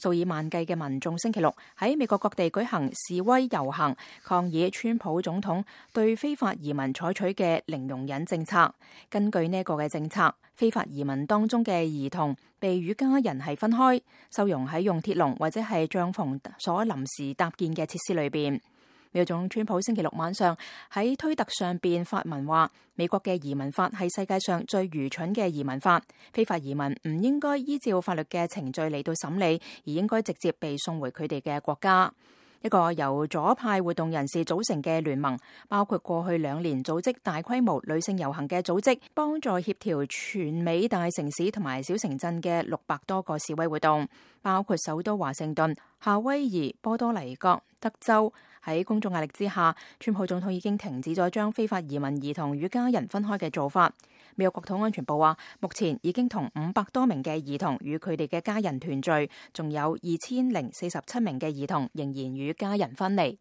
數以萬計嘅民眾星期六喺美國各地舉行示威遊行，抗議川普總統對非法移民採取嘅零容忍政策。根據呢個嘅政策，非法移民當中嘅兒童被與家人係分開，收容喺用鐵籠或者係帳篷所臨時搭建嘅設施裏邊。美國總統川普星期六晚上喺推特上邊發文話，美國嘅移民法係世界上最愚蠢嘅移民法，非法移民唔應該依照法律嘅程序嚟到審理，而應該直接被送回佢哋嘅國家。一個由左派活動人士組成嘅聯盟，包括過去2年組織大規模女性遊行嘅組織，幫助協調全美大城市同埋小城鎮嘅600多個示威活動，包括首都華盛頓、夏威夷、波多黎各、德州。喺公眾壓力之下，川普總統已經停止咗將非法移民兒童與家人分開嘅做法。美國國土安全部話，目前已經同500多名嘅兒童與佢哋嘅家人團聚，仲有2047名嘅兒童仍然與家人分離。